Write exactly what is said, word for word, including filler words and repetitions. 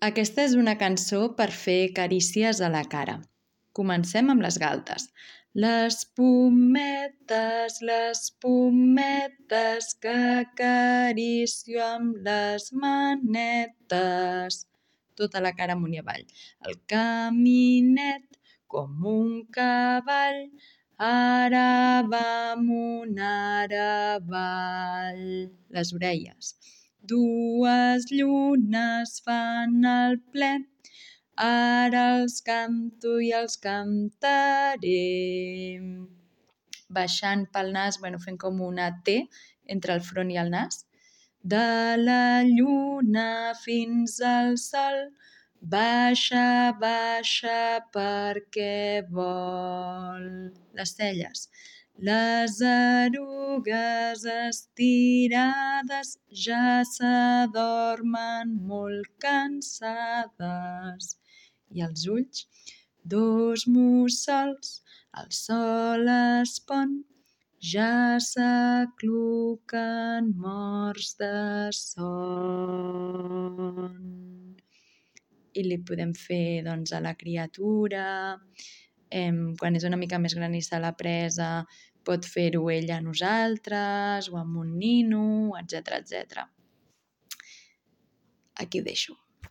Aquesta és una cançó per fer carícies a la cara. Comencem amb les galtes. Les pometes, les pometes que acaricio amb les manetes. Tota la cara amunt i avall. El caminet com un cavall, ara va amunt, ara avall. Les orelles. Dues llunes fan el ple, ara els canto i els cantaré. Baixant pel nas, bueno, fent com una T entre el front i el nas. De la lluna fins al sol, baixa, baixa perquè vol. Les celles. Les erugues estirades ja s'adormen molt cansades. I els ulls, dos mussols, el sol es pon, ja s'acluquen morts de son. I li podem fer doncs, a la criatura, eh, quan és una mica més gran i se l'ha presa, pot fer-ho ella a nosaltres o amb un nino, etcètera, etcètera. Aquí ho deixo.